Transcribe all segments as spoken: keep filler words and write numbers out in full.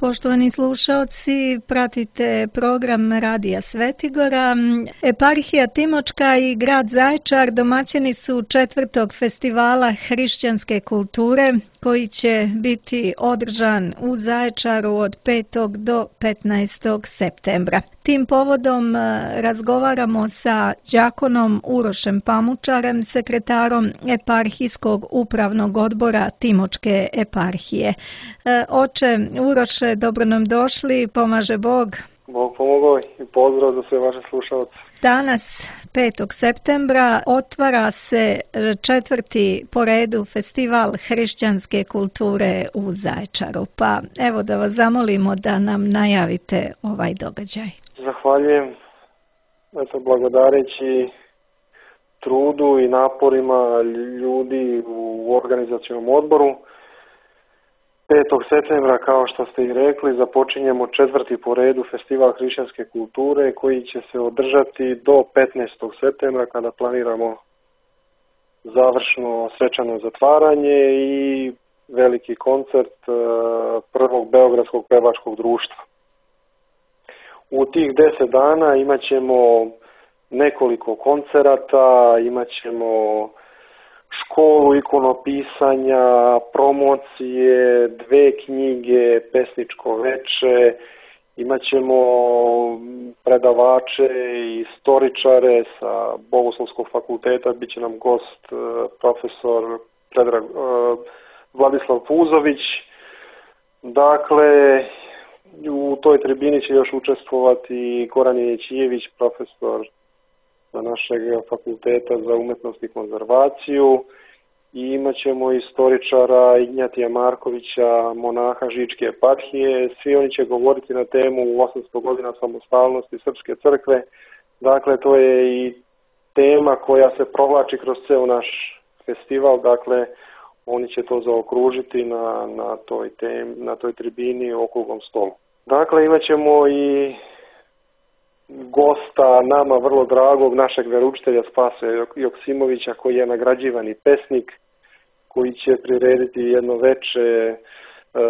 Poštovani slušaoci, pratite program Radija Svetigora. Eparhija Timočka i grad Zaječar domaćini su četvrtog festivala hrišćanske kulture koji će biti održan u Zaječaru od petog do petnaestog septembra. Tim povodom razgovaramo sa đakonom Urošem Pamučarem, sekretarom Eparhijskog upravnog odbora Timočke eparhije. Oče Uroše, dobro nam došli, pomaže Bog. Bog pomogao i pozdrav za sve vaše slušalce. Danas, petog septembra, otvara se četvrti po redu festival hrišćanske kulture u Zaječaru. Pa evo da vas zamolimo da nam najavite ovaj događaj. Zahvaljujem. Eto, blagodareći trudu i naporima ljudi u organizacionom odboru, petog septembra, kao što ste i rekli, započinjemo četvrti po redu festival hrišćanske kulture koji će se održati do petnaestog septembra kada planiramo završno svečano zatvaranje i veliki koncert prvog Beogradskog pevačkog društva. U tih deset dana imat ćemo nekoliko koncerata, imat ćemo školu ikonopisanja, promocije, dve knjige, pesničko veče, imat ćemo predavače i istoričare sa Bogoslovskog fakulteta, bit će nam gost profesor Predrag, Vladislav Puzović. Dakle, u toj tribini će još učestvovati Goran Jećijević, profesor na našeg fakulteta za umetnost i konzervaciju, i imat ćemo istoričara Ignjatija Markovića, monaha Žičke eparhije. Svi oni će govoriti na temu osamsto godina samostalnosti Srpske crkve. Dakle, to je i tema koja se provlači kroz ceo naš festival. Dakle, oni će to zaokružiti na, na, toj, tem, na toj tribini okruglom stolu. Dakle, imat ćemo i gosta nama vrlo dragog našeg veroučitelja Spase Joksimovića, koji je nagrađivani pesnik, koji će prirediti jedno veče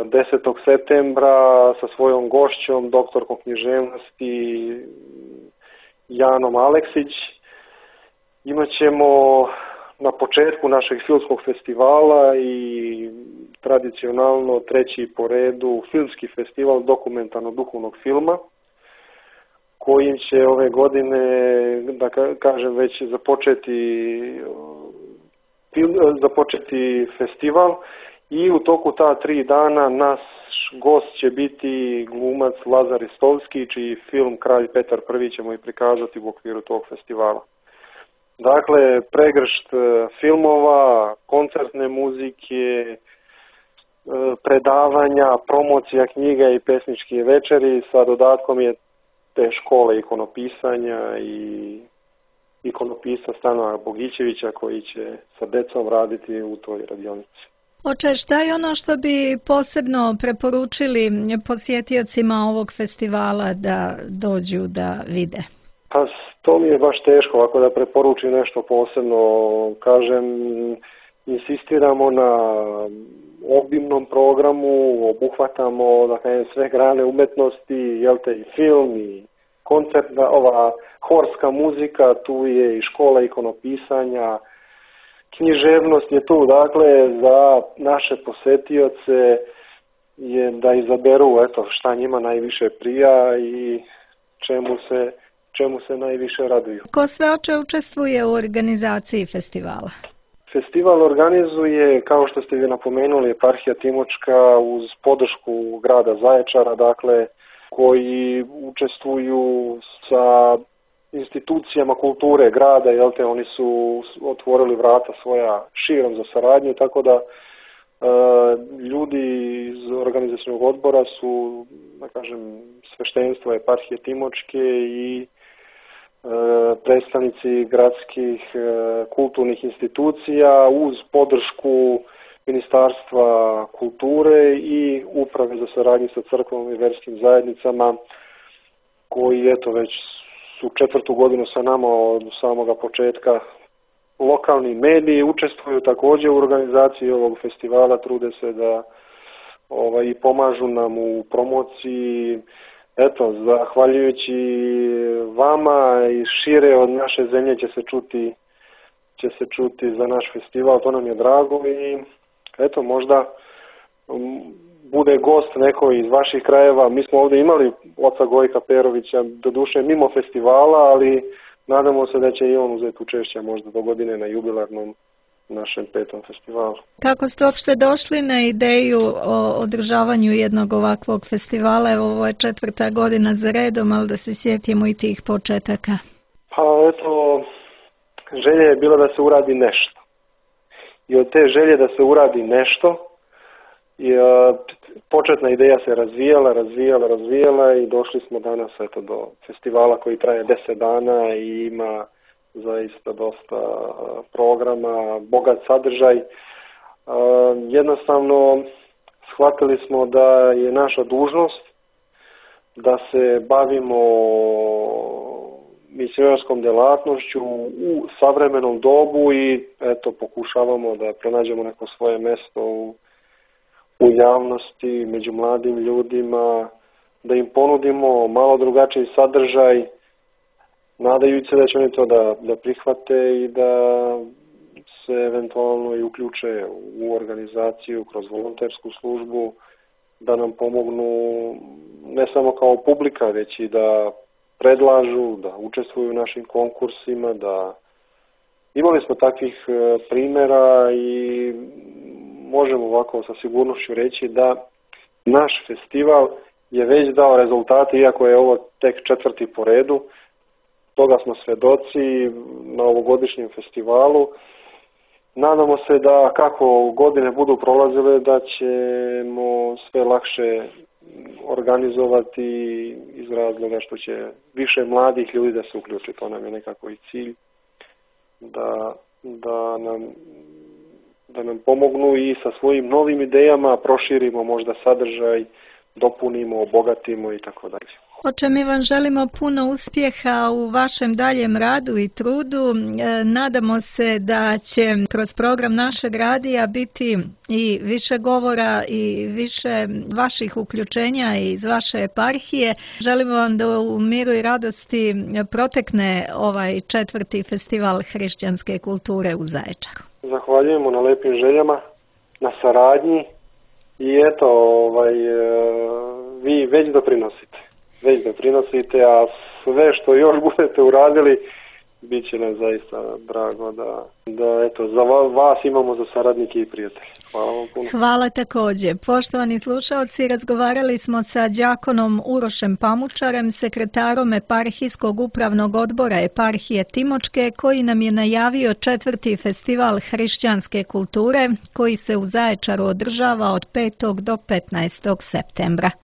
desetog septembra sa svojom gošćom, doktorkom književnosti Janom Aleksić. Imaćemo na početku našeg filmskog festivala i tradicionalno treći po redu filmski festival dokumentarno duhovnog filma, kojim će ove godine, da kažem, već započeti, film, započeti festival, i u toku ta tri dana naš gost će biti glumac Lazar Istovski, čiji film Kralj Petar Prvi ćemo i prikazati u okviru tog festivala. Dakle, pregršt filmova, koncertne muzike, predavanja, promocija knjiga i pesničke večeri, sa dodatkom je te škole ikonopisanja i ikonopisa Stanoja Bogićevića, koji će sa decom raditi u toj radionici. Oče, šta je ono što bi posebno preporučili posjetiocima ovog festivala da dođu da vide? Pa to mi je baš teško ovako da preporučim nešto posebno. Kažem, insistiramo na obimnom programu, obuhvatamo, da kažem, sve grane umetnosti, jel te, i film, i koncertna, ova horska muzika, tu je i škola ikonopisanja, književnost je tu. Dakle, za naše posetioce je da izaberu, eto, šta njima najviše prija i čemu se, čemu se najviše raduju. Ko sve, oče, učestvuje u organizaciji festivala? Festival organizuje, kao što ste vi napomenuli, eparhija Timočka uz podršku grada Zaječara, dakle, koji učestvuju sa institucijama kulture grada, jel te, oni su otvorili vrata svoja širom za saradnju, tako da e, ljudi iz organizacionog odbora su, da kažem, sveštenstva eparhije Timočke i predstavnici gradskih kulturnih institucija uz podršku Ministarstva kulture i Uprave za saradnju sa crkvom i verskim zajednicama, koji eto već su četvrtu godinu sa nama od samoga početka. Lokalni mediji učestvuju također u organizaciji ovog festivala, trude se da ovaj, i pomažu nam u promociji. Eto, zahvaljujući vama i šire od naše zemlje će se čuti, će se čuti za naš festival, to nam je drago i eto, možda um, bude gost neko iz vaših krajeva. Mi smo ovdje imali oca Gojka Perovića, doduše mimo festivala, ali nadamo se da će i on uzeti učešće možda do godine na jubilarnom našem petom festivalu. Kako ste uopšte došli na ideju o održavanju jednog ovakvog festivala? Evo, ovo je četvrta godina za redom, ali da se sjetimo i tih početaka. Pa eto, želja je bila da se uradi nešto. I od te želje da se uradi nešto, i, a, početna ideja se razvijala, razvijala, razvijala i došli smo danas eto, do festivala koji traje deset dana i ima zaista dosta programa, bogat sadržaj. Jednostavno shvatili smo da je naša dužnost da se bavimo misionarskom delatnošću u savremenom dobu i eto pokušavamo da pronađemo neko svoje mjesto u, u javnosti, među mladim ljudima, da im ponudimo malo drugačiji sadržaj, nadajući se da će oni to da, da prihvate i da se eventualno i uključe u organizaciju kroz volontersku službu, da nam pomognu ne samo kao publika, već i da predlažu, da učestvuju u našim konkursima, da imali smo takvih primjera i možemo ovako sa sigurnošću reći da naš festival je već dao rezultate, iako je ovo tek četvrti po redu. Toga smo svedoci na ovogodišnjem festivalu. Nadamo se da kako godine budu prolazile da ćemo sve lakše organizovati iz razloga što će više mladih ljudi da se uključi. To nam je nekako i cilj da, da, nam, da nam pomognu i sa svojim novim idejama proširimo možda sadržaj, dopunimo, obogatimo i tako dalje. Oče, mi vam želimo puno uspjeha u vašem daljem radu i trudu. Nadamo se da će kroz program našeg radija biti i više govora i više vaših uključenja iz vaše eparhije. Želimo vam da u miru i radosti protekne ovaj četvrti festival hrišćanske kulture u Zaječaru. Zahvaljujemo na lepim željama, na saradnji i eto, ovaj, vi već doprinosite. već doprinosite, a sve što još budete uradili, bit će nam zaista drago da, da eto, za vas imamo za saradnike i prijatelje. Hvala vam puno. Hvala također. Poštovani slušalci, razgovarali smo sa đakonom Urošem Pamučarem, sekretarom eparhijskog upravnog odbora eparhije Timočke, koji nam je najavio četvrti festival hrišćanske kulture, koji se u Zaječaru održava od petog do petnaestog septembra.